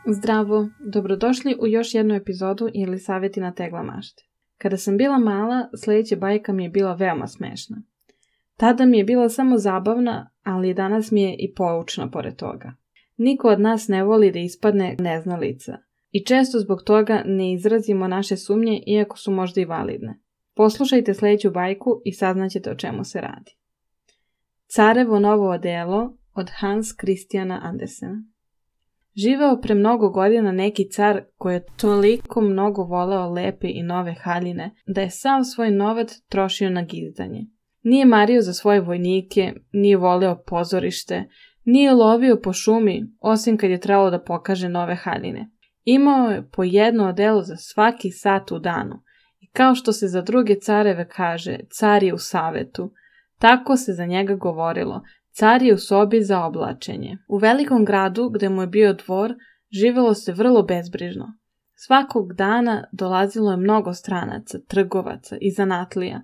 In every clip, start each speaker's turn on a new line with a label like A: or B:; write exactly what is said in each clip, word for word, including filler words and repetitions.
A: Zdravo, dobrodošli u još jednu epizodu ili savjeti na tegla mašte. Kada sam bila mala, sljedeća bajka mi je bila veoma smešna. Tada mi je bila samo zabavna, ali danas mi je i poučna pored toga. Niko od nas ne voli da ispadne neznalica i često zbog toga ne izrazimo naše sumnje iako su možda i validne. Poslušajte sljedeću bajku i saznaćete o čemu se radi. Carevo novo odelo od Hans Christiana Andersena. Živeo pre mnogo godina neki car koji je toliko mnogo voleo lepe i nove haljine da je sav svoj novac trošio na gizdanje. Nije mario za svoje vojnike, nije voleo pozorište, nije lovio po šumi osim kad je trebalo da pokaže nove haljine. Imao je po jedno odelo za svaki sat u danu i kao što se za druge careve kaže car je u savetu, tako se za njega govorilo. Car je u sobi za oblačenje. U velikom gradu, gde mu je bio dvor, živelo se vrlo bezbrižno. Svakog dana dolazilo je mnogo stranaca, trgovaca i zanatlija,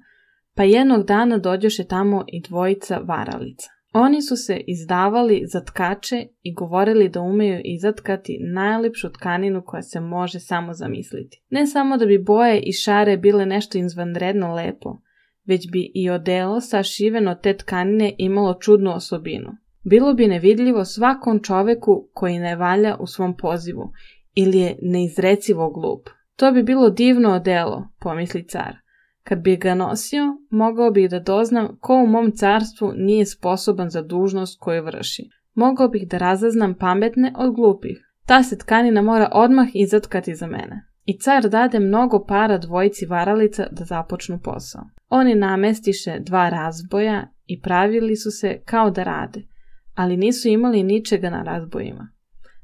A: pa jednog dana dođoše tamo i dvojica varalica. Oni su se izdavali za tkače i govorili da umeju izatkati najlepšu tkaninu koja se može samo zamisliti. Ne samo da bi boje i šare bile nešto izvanredno lepo, već bi i odelo sašiveno te tkanine imalo čudnu osobinu. Bilo bi nevidljivo svakom čoveku koji ne valja u svom pozivu ili je neizrecivo glup. To bi bilo divno odelo, pomisli car. Kad bi ga nosio, mogao bih da doznam ko u mom carstvu nije sposoban za dužnost koju vrši. Mogao bih da razaznam pametne od glupih. Ta se tkanina mora odmah izatkati za mene. I car dade mnogo para dvojici varalica da započnu posao. Oni namestiše dva razboja i pravili su se kao da rade, ali nisu imali ničega na razbojima.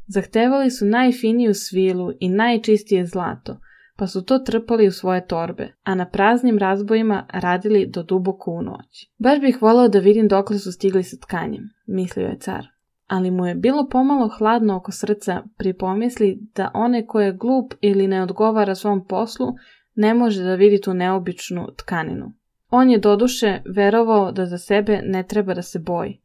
A: Zahtevali su najfiniju svilu i najčistije zlato, pa su to trpali u svoje torbe, a na praznim razbojima radili do duboko u noć. Baš bih voleo da vidim dokle su stigli sa tkanjem, mislio je car. Ali mu je bilo pomalo hladno oko srca pri pomisli da one ko je glup ili ne odgovara svom poslu ne može da vidi tu neobičnu tkaninu. On je doduše verovao da za sebe ne treba da se boji,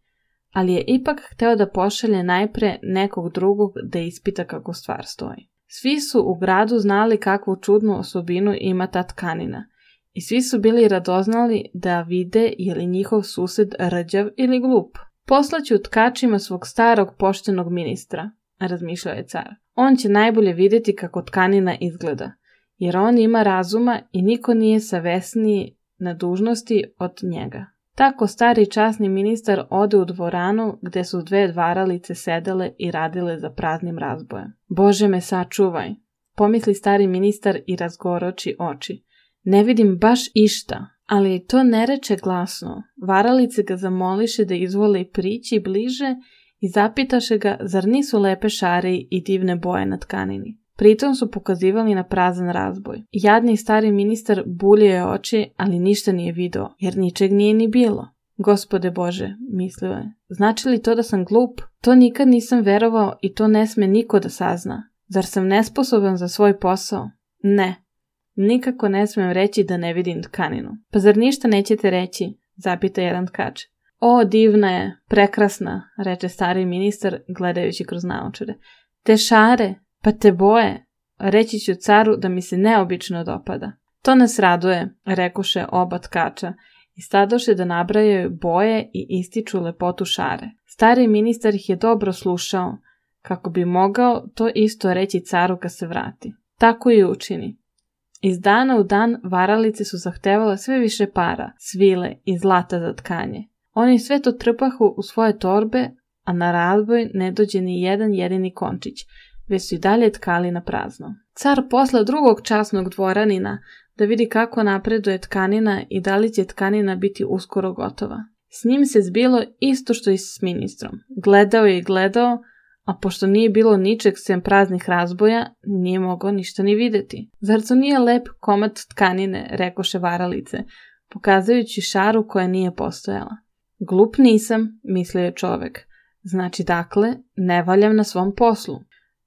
A: ali je ipak hteo da pošalje najpre nekog drugog da ispita kako stvar stoji. Svi su u gradu znali kakvu čudnu osobinu ima ta tkanina i svi su bili radoznali da vide je li njihov sused rđav ili glup. Poslaću tkačima svog starog poštenog ministra, razmišljao je car. On će najbolje vidjeti kako tkanina izgleda, jer on ima razuma i niko nije savesniji na dužnosti od njega. Tako stari časni ministar ode u dvoranu gde su dve varalice sedele i radile za praznim razbojem. Bože me sačuvaj, pomisli stari ministar i razgoroči oči. Ne vidim baš išta. Ali to ne reče glasno. Varalice ga zamoliše da izvole prići bliže i zapitaše ga zar nisu lepe šare i divne boje na tkanini. Pritom su pokazivali na prazan razboj. Jadni stari ministar buljio je oči, ali ništa nije video, jer ničeg nije ni bilo. Gospode Bože, mislio je, znači li to da sam glup? To nikad nisam verovao i to ne sme niko da sazna. Zar sam nesposoban za svoj posao? Ne. Nikako ne smijem reći da ne vidim tkaninu. Pa zar ništa nećete reći? Zapita jedan tkač. O, divna je, prekrasna, reče stari ministar gledajući kroz naočare. Te šare, pa te boje, reći ću caru da mi se neobično dopada. To nas raduje, rekoše oba tkača i stadoše da nabrajaju boje i ističu lepotu šare. Stari ministar ih je dobro slušao, kako bi mogao to isto reći caru kad se vrati. Tako i učini. Iz dana u dan varalice su zahtevale sve više para, svile i zlata za tkanje. Oni sve to trpahu u svoje torbe, a na razboj ne dođe ni jedan jedini končić, već su i dalje tkali na prazno. Car posla drugog časnog dvoranina da vidi kako napreduje tkanina i da li će tkanina biti uskoro gotova. S njim se zbilo isto što i s ministrom. Gledao je i gledao, a pošto nije bilo ničeg sem praznih razboja, nije mogao ništa ni videti. Zar to nije lep komad tkanine, rekoše varalice, pokazujući šaru koja nije postojala. Glup nisam, mislio je čovek. Znači, dakle, ne valjam na svom poslu.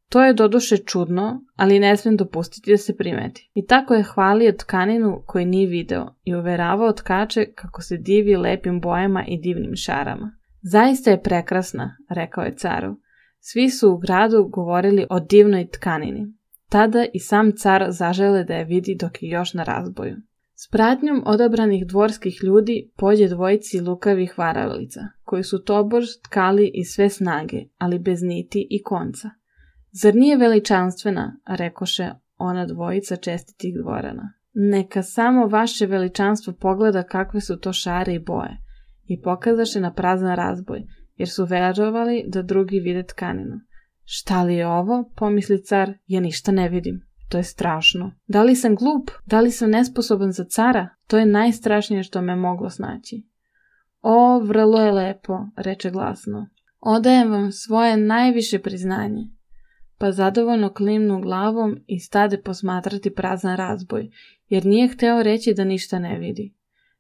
A: To je doduše čudno, ali ne smem dopustiti da se primeti. I tako je hvalio tkaninu koju nije video i uveravao tkače kako se divi lepim bojama i divnim šarama. Zaista je prekrasna, rekao je caru. Svi su u gradu govorili o divnoj tkanini. Tada i sam car zažele da je vidi dok je još na razboju. S pratnjom odabranih dvorskih ljudi pođe dvojici lukavih varalica, koji su tobož tkali iz sve snage, ali bez niti i konca. Zar nije veličanstvena, rekoše ona dvojica čestitih dvorana. Neka samo vaše veličanstvo pogleda kakve su to šare i boje, i pokazaše na prazan razboj, jer su verovali da drugi vide tkaninu. Šta li je ovo, pomisli car, ja ništa ne vidim. To je strašno. Da li sam glup? Da li sam nesposoban za cara? To je najstrašnije što me moglo snaći. O, vrlo je lepo, reče glasno. Odajem vam svoje najviše priznanje. Pa zadovoljno klimnu glavom i stade posmatrati prazan razboj, jer nije hteo reći da ništa ne vidi.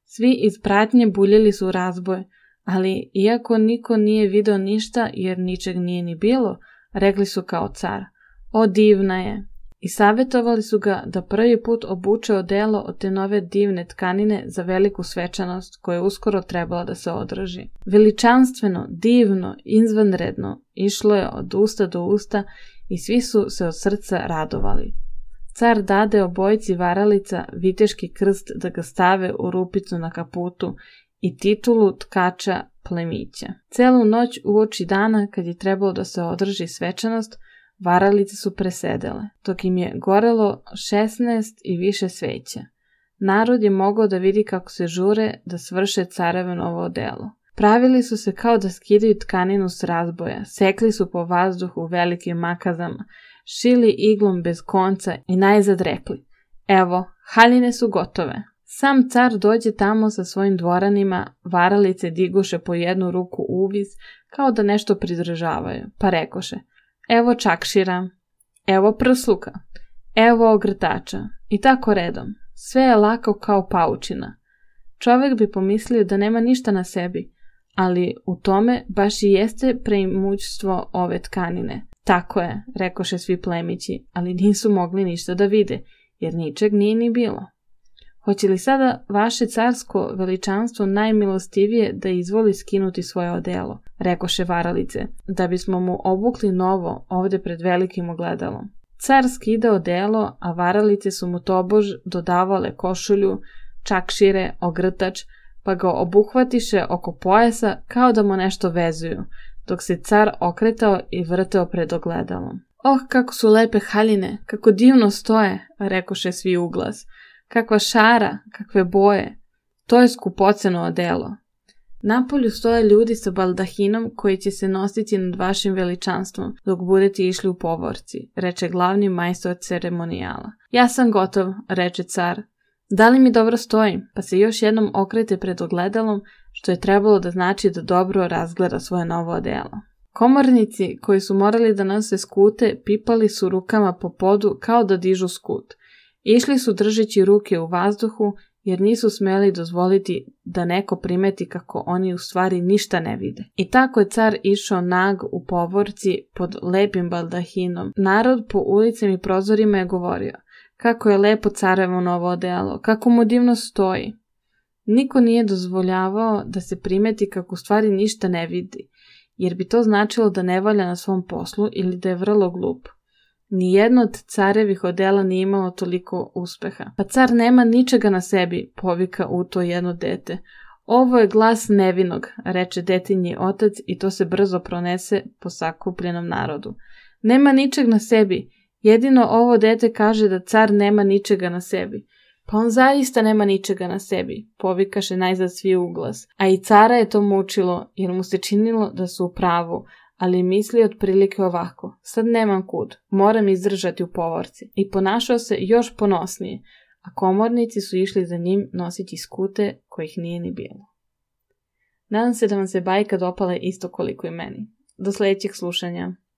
A: Svi iz pratnje buljili su razboj, ali iako niko nije video ništa jer ničeg nije ni bilo, rekli su kao car, o divna je, i savjetovali su ga da prvi put obuče odelo od te nove divne tkanine za veliku svečanost koja je uskoro trebala da se održi. Veličanstveno, divno, izvanredno išlo je od usta do usta i svi su se od srca radovali. Car dade obojici varalica viteški krst da ga stave u rupicu na kaputu i titulu tkača plemića. Celu noć uoči dana, kad je trebalo da se održi svečanost, varalice su presedele, dok im je gorelo šesnaest i više sveća. Narod je mogao da vidi kako se žure da svrše carevo novo odelo. Pravili su se kao da skidaju tkaninu s razboja, sekli su po vazduhu velikim makazama, šili iglom bez konca i najzad rekli, evo, haljine su gotove. Sam car dođe tamo sa svojim dvoranima, varalice diguše po jednu ruku uvis, kao da nešto pridržavaju, pa rekoše, evo čakšira, evo prsluka, evo ogrtača, i tako redom. Sve je lako kao paučina. Čovek bi pomislio da nema ništa na sebi, ali u tome baš i jeste preimućstvo ove tkanine. Tako je, rekoše svi plemići, ali nisu mogli ništa da vide, jer ničeg nije ni bilo. Hoće li sada vaše carsko veličanstvo najmilostivije da izvoli skinuti svoje odelo, rekoše varalice, da bismo mu obukli novo ovde pred velikim ogledalom. Car skida odelo, a varalice su mu tobož dodavale košulju, čakšire, ogrtač, pa ga obuhvatiše oko pojasa kao da mu nešto vezuju, dok se car okretao i vrteo pred ogledalom. Oh, kako su lepe haljine, kako divno stoje, rekoše svi uglas. Kakva šara, kakve boje. To je skupoceno odelo. Napolju stoje ljudi sa baldahinom koji će se nositi nad vašim veličanstvom dok budete išli u povorci, reče glavni majstor ceremonijala. Ja sam gotov, reče car. Da li mi dobro stojim? Pa se još jednom okrete pred ogledalom, što je trebalo da znači da dobro razgleda svoje novo odelo. Komornici koji su morali da nose skute pipali su rukama po podu kao da dižu skut. Išli su držeći ruke u vazduhu jer nisu smeli dozvoliti da neko primeti kako oni u stvari ništa ne vide. I tako je car išao nag u povorci pod lepim baldahinom. Narod po ulicama i prozorima je govorio kako je lepo carevo novo odelo, kako mu divno stoji. Niko nije dozvoljavao da se primeti kako u stvari ništa ne vidi, jer bi to značilo da ne valja na svom poslu ili da je vrlo glup. Nijedno od carevih odela nije imalo toliko uspeha. Pa car nema ničega na sebi, povika u to jedno dete. Ovo je glas nevinog, reče detinji otac i to se brzo pronese po sakupljenom narodu. Nema ničeg na sebi. Jedino ovo dete kaže da car nema ničega na sebi. Pa on zaista nema ničega na sebi, povikaše najzad svi uglas. A i cara je to mučilo, jer mu se činilo da su u pravu, ali misli otprilike ovako, sad nemam kud, moram izdržati u povorci. I ponašao se još ponosnije, a komornici su išli za njim nositi skute kojih nije ni bilo. Nadam se da vam se bajka dopala isto koliko i meni. Do sljedećeg slušanja.